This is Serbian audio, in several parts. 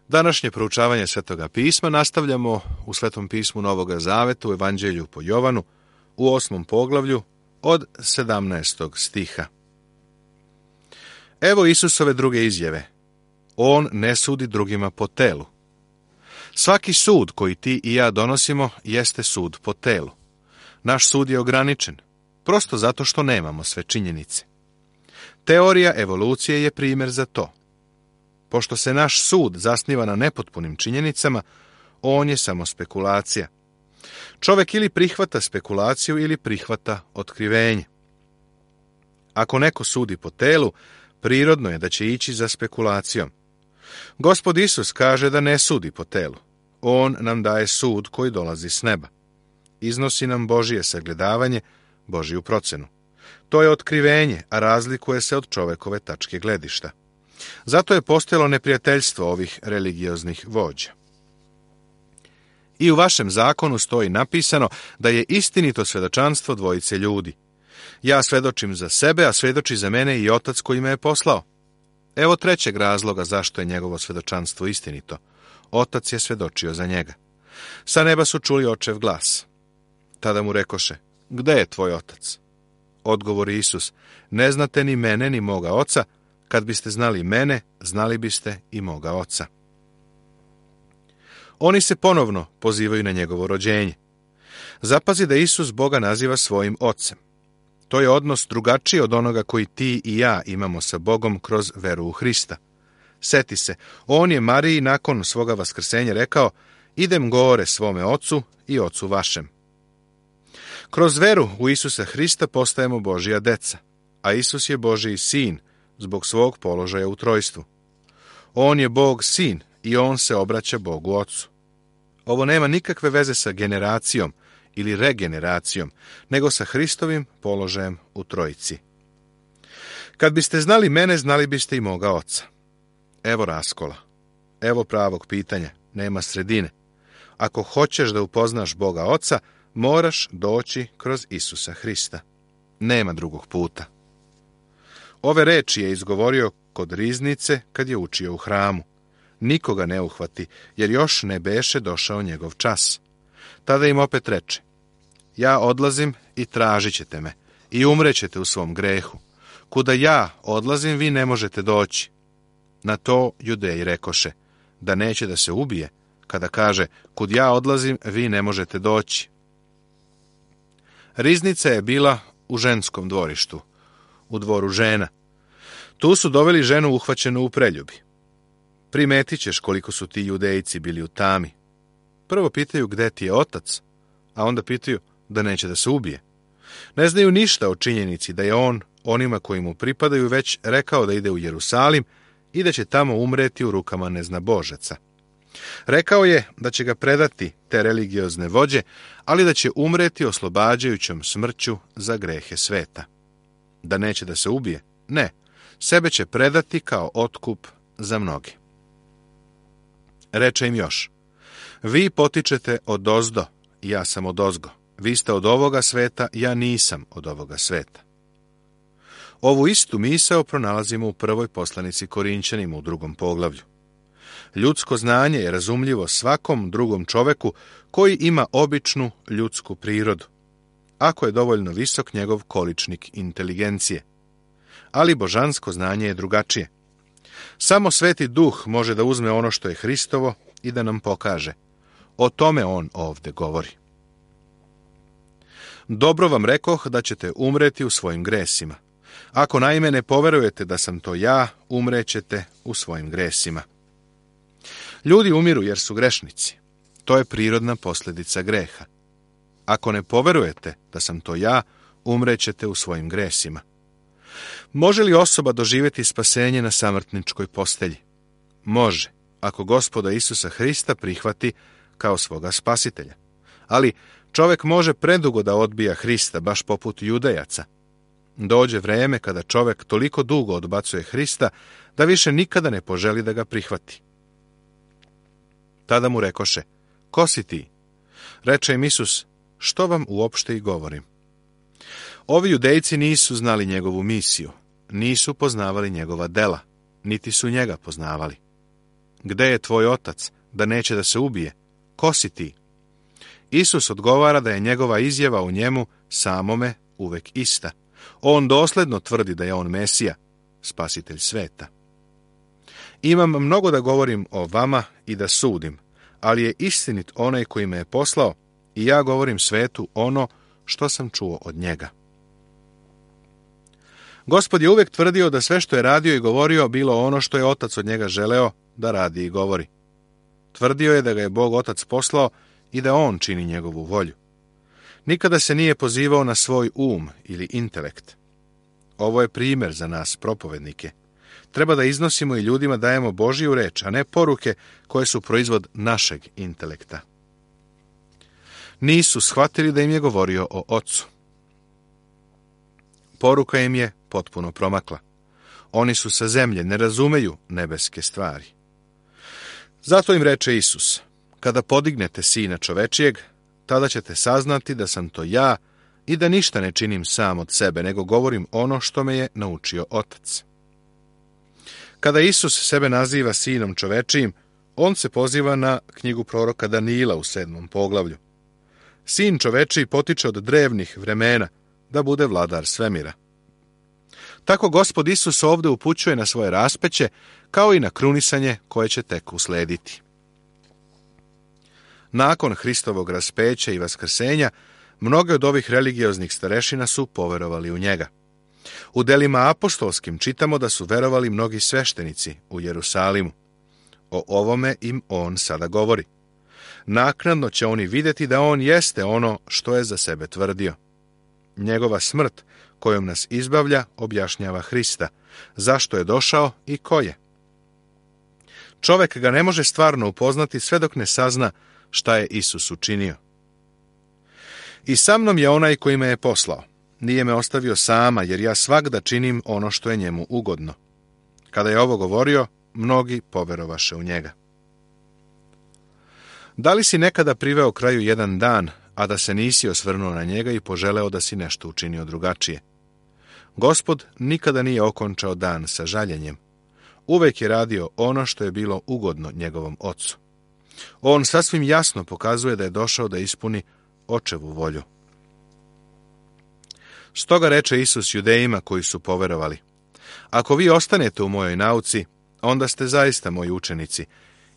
Današnje proučavanje Svetoga pisma nastavljamo u Svetom pismu Novoga Zaveta u Evanđelju po Jovanu u 8. poglavlju od 17. stiha. Evo Isusove druge izjave. On ne sudi drugima po telu. Svaki sud koji ti i ja donosimo jeste sud po telu. Naš sud je ograničen, prosto zato što nemamo sve činjenice. Teorija evolucije je primjer za to. Pošto se naš sud zasniva na nepotpunim činjenicama, on je samo spekulacija. Čovjek ili prihvata spekulaciju ili prihvata otkrivenje. Ako neko sudi po telu, prirodno je da će ići za spekulacijom. Gospod Isus kaže da ne sudi po telu. On nam daje sud koji dolazi s neba. Iznosi nam Božje sagledavanje, Božju procenu. To je otkrivenje, a razlikuje se od čovekove tačke gledišta. Zato je postojalo neprijateljstvo ovih religioznih vođa. I u vašem zakonu stoji napisano da je istinito svjedočanstvo dvojice ljudi. Ja svedočim za sebe, a svedoči za mene i Otac koji me je poslao. Evo trećeg razloga zašto je njegovo svjedočanstvo istinito. Otac je svedočio za njega. Sa neba su čuli očev glas. Tada mu rekoše, gde je tvoj otac? Odgovori Isus, ne znate ni mene ni moga oca, kad biste znali mene, znali biste i moga oca. Oni se ponovno pozivaju na njegovo rođenje. Zapazi da Isus Boga naziva svojim ocem. To je odnos drugačiji od onoga koji ti i ja imamo sa Bogom kroz veru u Hrista. Seti se, on je Mariji nakon svoga vaskrsenja rekao, idem gore svome ocu i ocu vašem. Kroz veru u Isusa Hrista postajemo Božja deca, a Isus je Božji sin zbog svog položaja u trojstvu. On je Bog sin i on se obraća Bogu ocu. Ovo nema nikakve veze sa generacijom ili regeneracijom, nego sa Hristovim položajem u trojici. Kad biste znali mene, znali biste i moga oca. Evo raskola. Evo pravog pitanja. Nema sredine. Ako hoćeš da upoznaš Boga Oca, moraš doći kroz Isusa Hrista. Nema drugog puta. Ove reči je izgovorio kod riznice kad je učio u hramu. Nikoga ne uhvati, jer još ne beše došao njegov čas. Tada im opet reče, ja odlazim i tražit ćete me, i umrećete u svom grehu. Kuda ja odlazim, vi ne možete doći. Na to Judeji rekoše, da neće da se ubije, kada kaže, kud ja odlazim, vi ne možete doći. Riznica je bila u ženskom dvorištu, u dvoru žena. Tu su doveli ženu uhvaćenu u preljubi. Primetit ćeš koliko su ti Judejci bili u tami. Prvo pitaju gde ti je otac, a onda pitaju da neće da se ubije. Ne znaju ništa o činjenici da je on onima koji mu pripadaju već rekao da ide u Jerusalim i da će tamo umreti u rukama neznabožaca. Rekao je da će ga predati te religiozne vođe, ali da će umreti oslobađajućom smrću za grehe sveta. Da neće da se ubije? Ne, sebe će predati kao otkup za mnoge. Reče im još, vi potičete odozdo, ja sam odozgo. Vi ste od ovoga sveta, ja nisam od ovoga sveta. Ovu istu misao pronalazimo u prvoj poslanici Korinćanima u 2. poglavlju. Ljudsko znanje je razumljivo svakom drugom čoveku koji ima običnu ljudsku prirodu, ako je dovoljno visok njegov količnik inteligencije. Ali božansko znanje je drugačije. Samo Sveti Duh može da uzme ono što je Hristovo i da nam pokaže. O tome on ovde govori. Dobro vam rekoh da ćete umreti u svojim gresima. Ako naime ne poverujete da sam to ja, umrećete u svojim gresima. Ljudi umiru jer su grešnici. To je prirodna posljedica greha. Ako ne poverujete da sam to ja, umrećete u svojim gresima. Može li osoba doživjeti spasenje na samrtničkoj postelji? Može, ako Gospoda Isusa Hrista prihvati kao svoga spasitelja. Ali čovjek može predugo da odbija Hrista, baš poput Judejaca. Dođe vreme kada čovjek toliko dugo odbacuje Hrista, da više nikada ne poželi da ga prihvati. Tada mu rekoše, ko si ti? Reče im Isus, što vam uopšte i govorim? Ovi Judejci nisu znali njegovu misiju, nisu poznavali njegova dela, niti su njega poznavali. Gde je tvoj otac, da neće da se ubije? Ko si ti? Isus odgovara da je njegova izjava u njemu samome uvek ista. On dosledno tvrdi da je on Mesija, spasitelj sveta. Imam mnogo da govorim o vama i da sudim, ali je istinit onaj koji me je poslao i ja govorim svetu ono što sam čuo od njega. Gospod je uvek tvrdio da sve što je radio i govorio bilo ono što je Otac od njega želeo da radi i govori. Tvrdio je da ga je Bog Otac poslao i da on čini njegovu volju. Nikada se nije pozivao na svoj ili intelekt. Ovo je primjer za nas, propovednike. Treba da iznosimo i ljudima dajemo Božiju reč, a ne poruke koje su proizvod našeg intelekta. Nisu shvatili da im je govorio o Ocu. Poruka im je potpuno promakla. Oni su sa zemlje, ne razumeju nebeske stvari. Zato im reče Isus, kada podignete Sina čovečijeg, tada ćete saznati da sam to ja i da ništa ne činim sam od sebe, nego govorim ono što me je naučio Otac. Kada Isus sebe naziva Sinom čovečijim, on se poziva na knjigu proroka Danila u 7. poglavlju. Sin čovečiji potiče od drevnih vremena da bude vladar svemira. Tako Gospod Isus ovdje upućuje na svoje raspeće, kao i na krunisanje koje će tek uslediti. Nakon Hristovog raspeća i vaskrsenja, mnoge od ovih religioznih starešina su poverovali u njega. U delima apostolskim čitamo da su verovali mnogi sveštenici u Jerusalimu. O ovome im on sada govori. Naknadno će oni vidjeti da on jeste ono što je za sebe tvrdio. Njegova smrt, kojom nas izbavlja, objašnjava Hrista, zašto je došao i ko je. Čovek ga ne može stvarno upoznati sve dok ne sazna šta je Isus učinio. I sa mnom je onaj koji me je poslao. Nije me ostavio sama, jer ja svagda činim ono što je njemu ugodno. Kada je ovo govorio, mnogi poverovaše u njega. Da li si nekada priveo kraju jedan dan, a da se nisi osvrnuo na njega i poželeo da si nešto učinio drugačije? Gospod nikada nije okončao dan sa žaljenjem. Uvek je radio ono što je bilo ugodno njegovom Ocu. On sasvim jasno pokazuje da je došao da ispuni Očevu volju. Stoga reče Isus Judejima koji su poverovali: ako vi ostanete u mojoj nauci, onda ste zaista moji učenici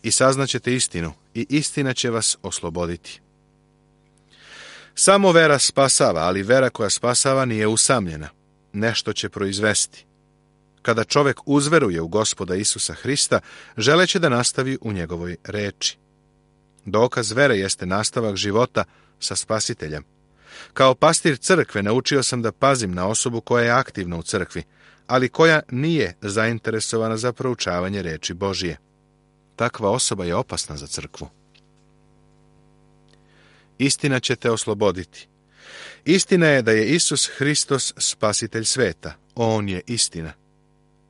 i saznaćete istinu i istina će vas osloboditi. Samo vera spasava, ali vera koja spasava nije usamljena. Nešto će proizvesti. Kada čovjek uzveruje u Gospoda Isusa Hrista, želeće da nastavi u njegovoj reči. Dokaz vere jeste nastavak života sa Spasiteljem. Kao pastir crkve naučio sam da pazim na osobu koja je aktivna u crkvi, ali koja nije zainteresovana za proučavanje reči Božije. Takva osoba je opasna za crkvu. Istina će te osloboditi. Istina je da je Isus Hristos spasitelj sveta. On je istina.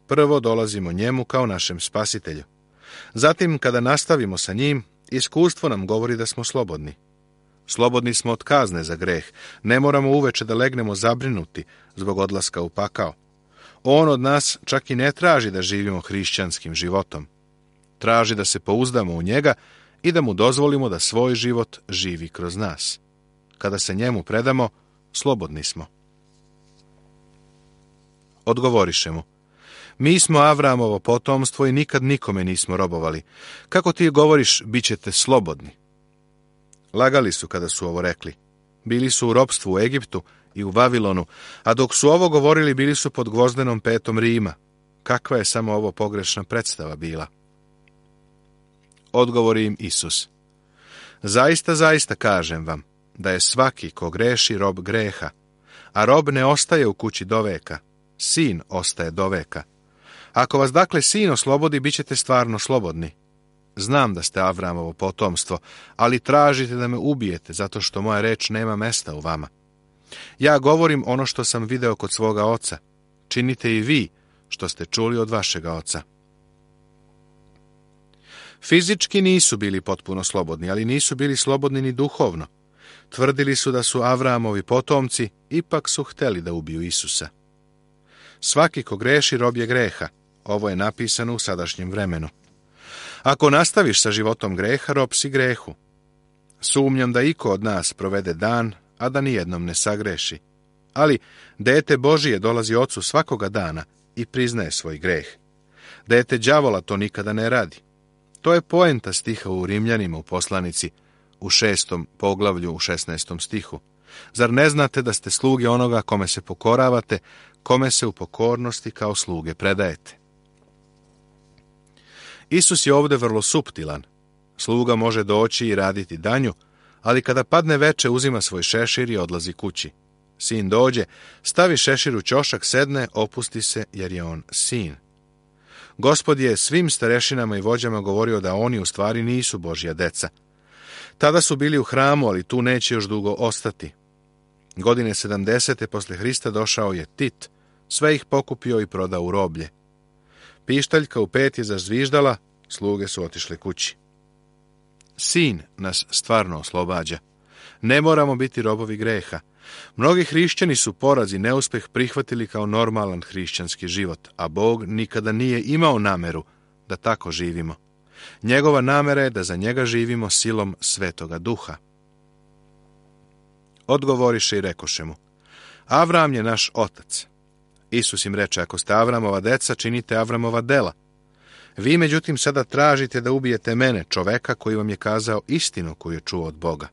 Prvo dolazimo njemu kao našem spasitelju. Zatim, kada nastavimo sa njim, iskustvo nam govori da smo slobodni. Slobodni smo od kazne za greh. Ne moramo uveče da legnemo zabrinuti zbog odlaska u pakao. On od nas čak i ne traži da živimo hrišćanskim životom. Traži da se pouzdamo u njega i da mu dozvolimo da svoj život živi kroz nas. Kada se njemu predamo, slobodni smo. Odgovoriše mu: mi smo Avramovo potomstvo i nikad nikome nismo robovali. Kako ti govoriš, bit ćete slobodni? Lagali su kada su ovo rekli. Bili su u ropstvu u Egiptu i u Vavilonu, a dok su ovo govorili, bili su pod gvozdenom petom Rima. Kakva je samo ovo pogrešna predstava bila? Odgovori im Isus: zaista, zaista kažem vam, da je svaki ko greši rob greha, a rob ne ostaje u kući do veka, sin ostaje do veka. Ako vas dakle sin oslobodi, bit ćete stvarno slobodni. Znam da ste Avramovo potomstvo, ali tražite da me ubijete, zato što moja reč nema mesta u vama. Ja govorim ono što sam video kod svoga oca. Činite i vi što ste čuli od vašega oca. Fizički nisu bili potpuno slobodni, ali nisu bili slobodni ni duhovno. Tvrdili su da su Avramovi potomci, ipak su hteli da ubiju Isusa. Svaki ko greši rob je greha. Ovo je napisano u sadašnjem vremenu. Ako nastaviš sa životom greha, rob si grehu. Sumnjam da iko od nas provede dan, a da nijednom ne sagreši. Ali dete Božije dolazi ocu svakoga dana i priznaje svoj greh. Dete đavola to nikada ne radi. To je poenta stiha u Rimljanima u poslanici u 6. poglavlju u 16. stihu. Zar ne znate da ste sluge onoga kome se pokoravate, kome se u pokornosti kao sluge predajete? Isus je ovdje vrlo suptilan. Sluga može doći i raditi danju, ali kada padne veče uzima svoj šešir i odlazi kući. Sin dođe, stavi šešir u ćošak, sedne, opusti se jer je on sin. Gospod je svim starešinama i vođama govorio da oni u stvari nisu Božja deca. Tada su bili u hramu, ali tu neće još dugo ostati. Godine 70. posle Hrista došao je Tit, sve ih pokupio i prodao u roblje. Pištaljka u 5 je zazviždala, sluge su otišle kući. Sin nas stvarno oslobađa. Ne moramo biti robovi greha. Mnogi hrišćani su poraz i neuspeh prihvatili kao normalan hrišćanski život, a Bog nikada nije imao nameru da tako živimo. Njegova namera je da za njega živimo silom Svetoga Duha. Odgovoriše i rekoše mu: Avram je naš otac. Isus im reče: ako ste Avramova deca, činite Avramova dela. Vi, međutim, sada tražite da ubijete mene, čoveka koji vam je kazao istinu koju je čuo od Boga.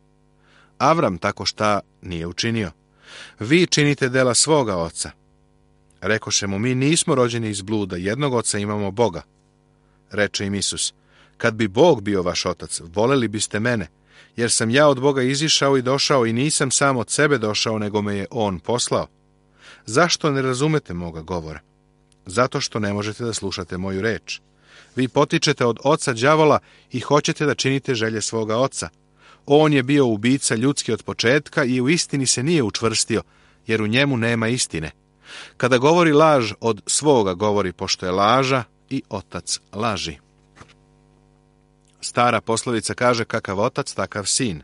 Avram tako šta nije učinio. Vi činite dela svoga oca. Rekoše mu: mi nismo rođeni iz bluda, jednog oca imamo, Boga. Reče im Isus: kad bi Bog bio vaš otac, voleli biste mene, jer sam ja od Boga izišao i došao i nisam sam od sebe došao, nego me je on poslao. Zašto ne razumete moga govora? Zato što ne možete da slušate moju reč. Vi potičete od oca đavola i hoćete da činite želje svoga oca. On je bio ubica ljudski od početka i u istini se nije učvrstio, jer u njemu nema istine. Kada govori laž, od svoga govori, pošto je laža i otac laži. Stara poslovica kaže: kakav otac, takav sin.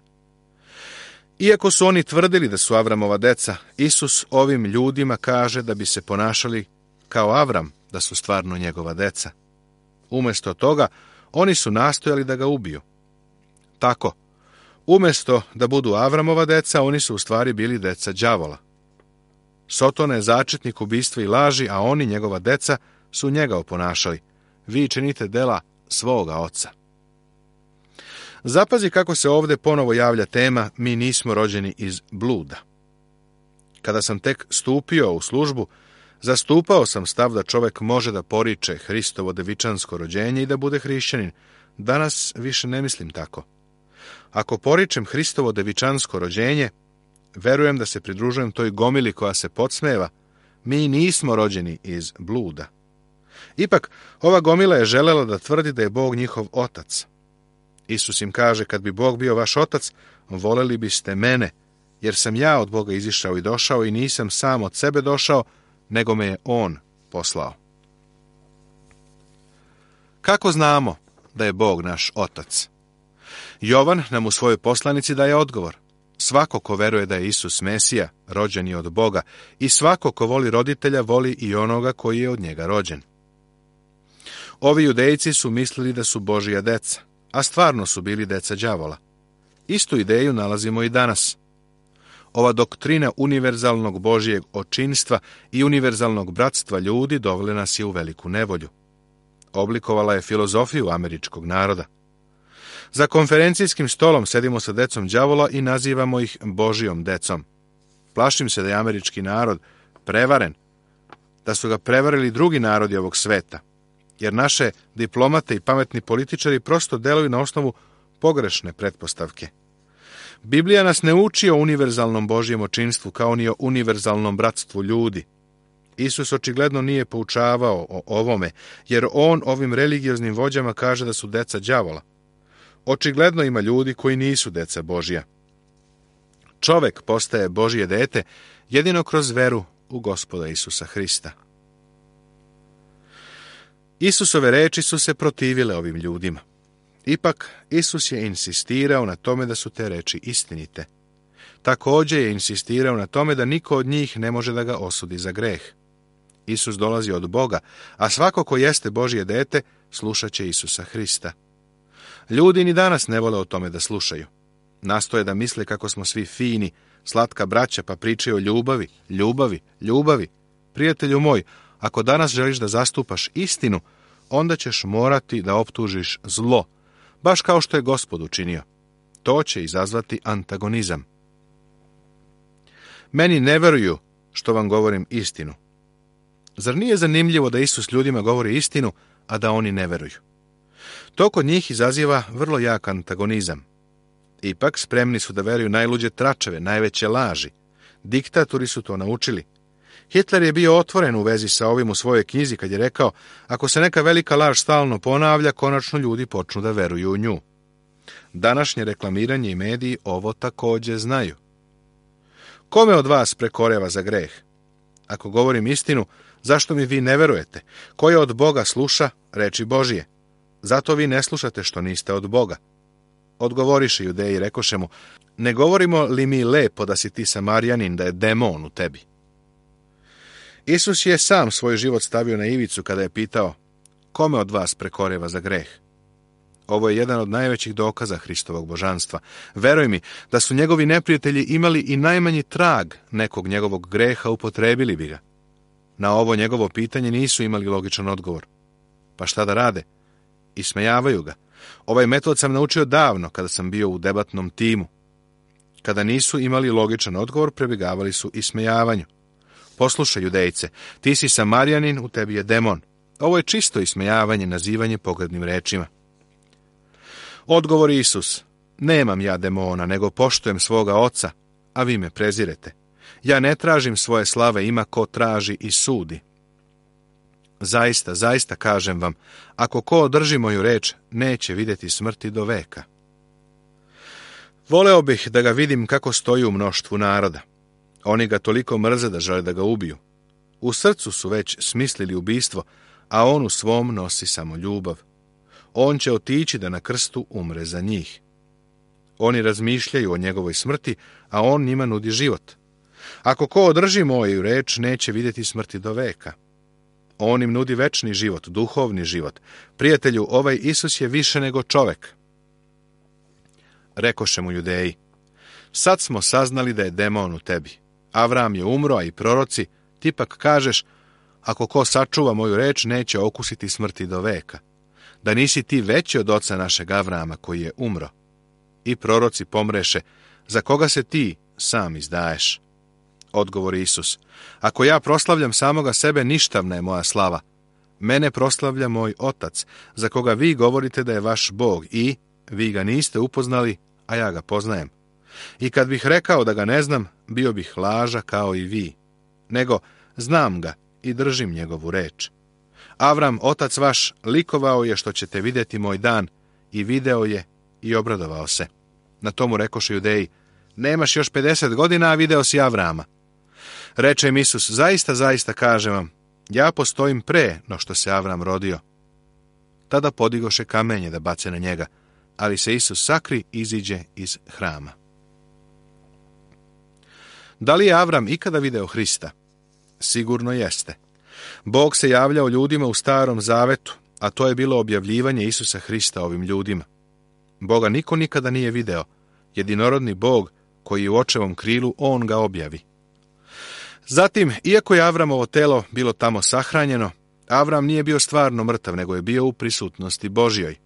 Iako su oni tvrdili da su Avramova deca, Isus ovim ljudima kaže da bi se ponašali kao Avram, da su stvarno njegova deca. Umjesto toga, oni su nastojali da ga ubiju. Tako, umjesto da budu Avramova deca, oni su u stvari bili deca đavola. Sotona je začetnik ubistva i laži, a oni, njegova deca, su njega oponašali. Vi činite dela svoga oca. Zapazi kako se ovdje ponovo javlja tema: mi nismo rođeni iz bluda. Kada sam tek stupio u službu, zastupao sam stav da čovjek može da poriče Hristovo devičansko rođenje i da bude hrišćanin. Danas više ne mislim tako. Ako poričem Hristovo devičansko rođenje, verujem da se pridružujem toj gomili koja se podsmeva: mi nismo rođeni iz bluda. Ipak, ova gomila je želela da tvrdi da je Bog njihov otac. Isus im kaže: kad bi Bog bio vaš otac, voleli biste mene, jer sam ja od Boga izišao i došao i nisam sam od sebe došao, nego me je on poslao. Kako znamo da je Bog naš otac? Jovan nam u svojoj poslanici daje odgovor: svako ko veruje da je Isus Mesija, rođen je od Boga, i svako ko voli roditelja, voli i onoga koji je od njega rođen. Ovi judejci su mislili da su Božja deca, a stvarno su bili deca đavola. Istu ideju nalazimo i danas. Ova doktrina univerzalnog Božjeg očinstva i univerzalnog bratstva ljudi dovela nas je u veliku nevolju. Oblikovala je filozofiju američkog naroda. Za konferencijskim stolom sedimo sa decom đavola i nazivamo ih Božijom decom. Plašim se da je američki narod prevaren, da su ga prevarili drugi narodi ovog sveta, jer naše diplomate i pametni političari prosto deluju na osnovu pogrešne pretpostavke. Biblija nas ne uči o univerzalnom Božjem očinstvu kao ni o univerzalnom bratstvu ljudi. Isus očigledno nije poučavao o ovome, jer on ovim religioznim vođama kaže da su deca đavola. Očigledno ima ljudi koji nisu deca Božja. Čovek postaje Božje dete jedino kroz veru u Gospoda Isusa Hrista. Isusove reči su se protivile ovim ljudima. Ipak, Isus je insistirao na tome da su te reči istinite. Također je insistirao na tome da niko od njih ne može da ga osudi za greh. Isus dolazi od Boga, a svako ko jeste Božje dete, slušat će Isusa Hrista. Ljudi ni danas ne vole o tome da slušaju. Nastoje da misle kako smo svi fini, slatka braća, pa pričaju o ljubavi, ljubavi, ljubavi. Prijatelju moj, ako danas želiš da zastupaš istinu, onda ćeš morati da optužiš zlo, baš kao što je Gospod učinio. To će izazvati antagonizam. Meni ne veruju što vam govorim istinu. Zar nije zanimljivo da Isus ljudima govori istinu, a da oni ne veruju? To kod njih izaziva vrlo jak antagonizam. Ipak spremni su da veruju najluđe tračeve, najveće laži. Diktatori su to naučili. Hitler je bio otvoren u vezi sa ovim u svojoj knjizi kad je rekao, ako se neka velika laž stalno ponavlja, konačno ljudi počnu da veruju u nju. Današnje reklamiranje i mediji ovo također znaju. Kome od vas prekoreva za greh? Ako govorim istinu, zašto mi vi ne verujete? Ko je od Boga sluša reči Božije? Zato vi ne slušate što niste od Boga. Odgovoriše Judeji, rekoše mu, ne govorimo li mi lepo da si ti Samarjanin, da je demon u tebi? Isus je sam svoj život stavio na ivicu kada je pitao, kome od vas prekoreva za greh? Ovo je jedan od najvećih dokaza Hristovog božanstva. Veruj mi, da su njegovi neprijatelji imali i najmanji trag nekog njegovog greha, upotrebili bi ga. Na ovo njegovo pitanje nisu imali logičan odgovor. Pa šta da rade? Ismejavaju ga. Ovaj metod sam naučio davno kada sam bio u debatnom timu. Kada nisu imali logičan odgovor, prebjegavali su ismejavanju. Poslušaj, Judejce, ti si Samarjanin, u tebi je demon. Ovo je čisto ismejavanje, nazivanje pogrdnim rečima. Odgovori Isus, nemam ja demona, nego poštujem svoga oca, a vi me prezirete. Ja ne tražim svoje slave, ima ko traži i sudi. Zaista, zaista kažem vam, ako ko održi moju reč, neće vidjeti smrti do veka. Voleo bih da ga vidim kako stoji u mnoštvu naroda. Oni ga toliko mrze da žele da ga ubiju. U srcu su već smislili ubistvo, a on u svom nosi samo ljubav. On će otići da na krstu umre za njih. Oni razmišljaju o njegovoj smrti, a on njima nudi život. Ako ko održi moju reč, neće vidjeti smrti do veka. On im nudi večni život, duhovni život. Prijatelju, ovaj Isus je više nego čovek. Rekoše mu Judeji, sad smo saznali da je demon u tebi. Avram je umro, a i proroci, ti pak kažeš, ako ko sačuva moju reč, neće okusiti smrti do veka. Da nisi ti veći od oca našeg Avrama koji je umro. I proroci pomreše, za koga se ti sam izdaješ? Odgovori Isus, ako ja proslavljam samoga sebe, ništavna je moja slava. Mene proslavlja moj otac, za koga vi govorite da je vaš Bog i vi ga niste upoznali, a ja ga poznajem. I kad bih rekao da ga ne znam, bio bih laža kao i vi. Nego, znam ga i držim njegovu reč. Avram, otac vaš, likovao je što ćete vidjeti moj dan, i video je i obradovao se. Na tomu rekoše Judeji, nemaš još 50 godina, a video si Avrama. Reče im Isus, zaista, zaista kažem vam, ja postojim pre no što se Avram rodio. Tada podigoše kamenje da bace na njega, ali se Isus sakri i iziđe iz hrama. Da li je Avram ikada video Hrista? Sigurno jeste. Bog se javljao ljudima u Starom Zavetu, a to je bilo objavljivanje Isusa Hrista ovim ljudima. Boga niko nikada nije video, jedinorodni Bog koji je u očevom krilu, on ga objavi. Zatim, iako je Avramovo telo bilo tamo sahranjeno, Avram nije bio stvarno mrtav, nego je bio u prisutnosti Božjoj.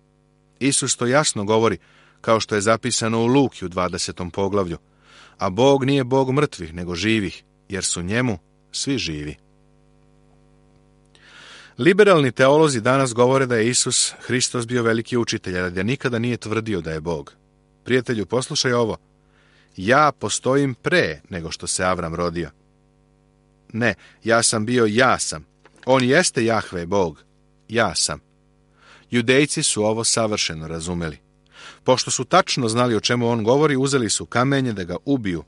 Isus to jasno govori, kao što je zapisano u Luki u 20. poglavlju, a Bog nije Bog mrtvih, nego živih, jer su njemu svi živi. Liberalni teolozi danas govore da je Isus Hristos bio veliki učitelj, ali da nikada nije tvrdio da je Bog. Prijatelju, poslušaj ovo. Ja postojim pre nego što se Avram rodio. Ne, ja sam bio ja sam. On jeste Jahve Bog. Ja sam. Judejci su ovo savršeno razumeli. Pošto su tačno znali o čemu on govori, uzeli su kamenje da ga ubiju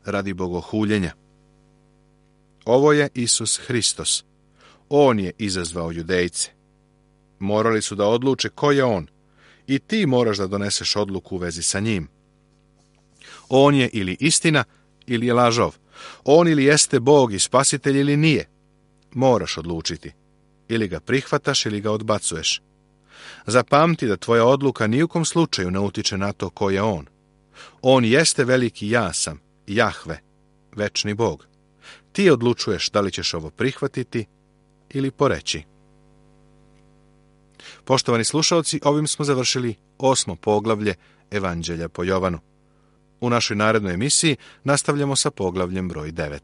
radi bogohuljenja. Ovo je Isus Hristos. On je izazvao Judejce. Morali su da odluče ko je on. I ti moraš da doneseš odluku u vezi sa njim. On je ili istina, ili je lažov. On ili jeste Bog i spasitelj ili nije. Moraš odlučiti. Ili ga prihvataš ili ga odbacuješ. Zapamti da tvoja odluka ni u kom slučaju ne utiče na to ko je on. On jeste veliki ja sam, Jahve, večni Bog. Ti odlučuješ da li ćeš ovo prihvatiti ili poreći. Poštovani slušalci, ovim smo završili 8. poglavlje Evanđelja po Jovanu. U našoj narednoj emisiji nastavljamo sa poglavljem broj 9.